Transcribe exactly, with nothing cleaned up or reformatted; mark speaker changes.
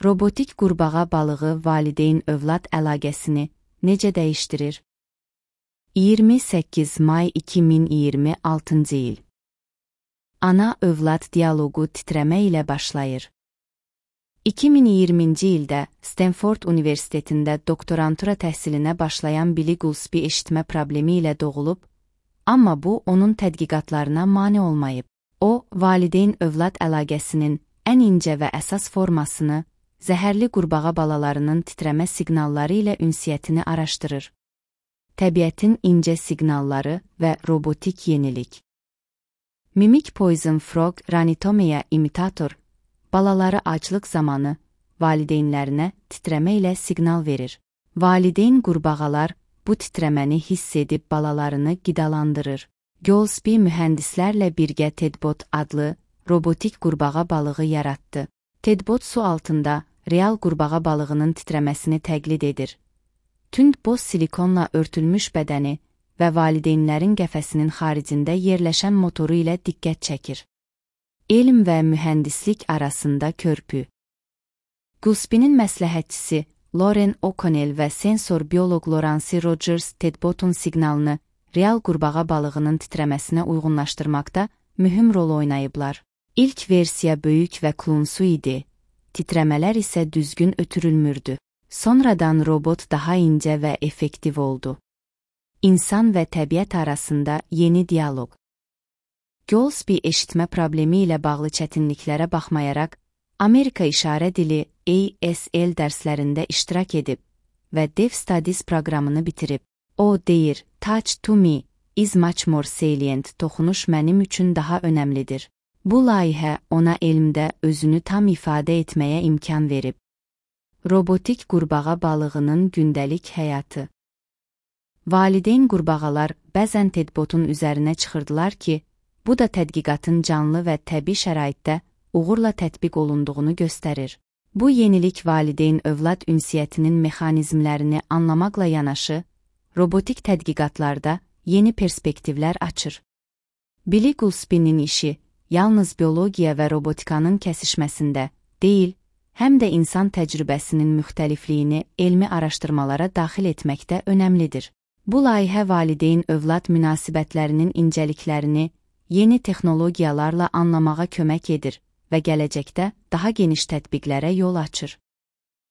Speaker 1: Robotik qurbağa balığı valideyn-övlad əlaqəsini necə dəyişdirir? iyirmi səkkiz may iki min iyirmi altıncı il. Ana-övlad dialoqu titrəmə ilə başlayır. iki min iyirminci ildə Stanford Universitetində doktorantura təhsilinə başlayan Billy Goolsby eşitmə problemi ilə doğulub, amma bu onun tədqiqatlarına mane olmayıb. O, valideyn-övlad əlaqəsinin ən incə və əsas formasını, zəhərli qurbağa balalarının titrəmə siqnalları ilə ünsiyyətini araşdırır. Təbiətin incə siqnalları və robotik yenilik. Mimic Poison Frog Ranitomia imitator, balaları aclıq zamanı valideynlərinə titrəmə ilə siqnal verir. Valideyn qurbağalar bu titrəməni hiss edib balalarını qidalandırır. Goolsby mühəndislərlə birgə Tedbot adlı robotik qurbağa balığı yaratdı. Tedbot su altında real qurbağa balığının titrəməsini təqlid edir. Tünd boz silikonla örtülmüş bədəni və valideynlərin qəfəsinin xaricində yerləşən motoru ilə diqqət çəkir. Elm və mühəndislik arasında körpü. Goolsby'nin məsləhətçisi Lauren O'Connell və sensor bioloq Lawrence Rogers Tedbotun siqnalını real qurbağa balığının titrəməsinə uyğunlaşdırmaqda mühüm rol oynayıblar. İlk versiya böyük və klunsu idi, titrəmələr isə düzgün ötürülmürdü. Sonradan robot daha incə və effektiv oldu. İnsan və təbiət arasında yeni dialoq. Goolsby eşitmə problemi ilə bağlı çətinliklərə baxmayaraq, Amerika İşarə Dili A S L dərslərində iştirak edib və Dev Studies proqramını bitirib. O deyir, touch to me is much more salient, toxunuş mənim üçün daha önəmlidir. Bu layihə ona elmdə özünü tam ifadə etməyə imkan verib. Robotik qurbağa balığının gündəlik həyatı. Valideyn qurbağalar bəzən Tedbotun üzərinə çıxırdılar ki, bu da tədqiqatın canlı və təbii şəraitdə uğurla tətbiq olunduğunu göstərir. Bu yenilik valideyn-övlad ünsiyyətinin mexanizmlərini anlamaqla yanaşı, robotik tədqiqatlarda yeni perspektivlər açır. Billy Goolsby'nin işi yalnız biologiya və robotikanın kəsişməsində deyil, həm də insan təcrübəsinin müxtəlifliyini elmi araşdırmalara daxil etməkdə önəmlidir. Bu layihə valideyn-övlad münasibətlərinin incəliklərini yeni texnologiyalarla anlamağa kömək edir və gələcəkdə daha geniş tətbiqlərə yol açır.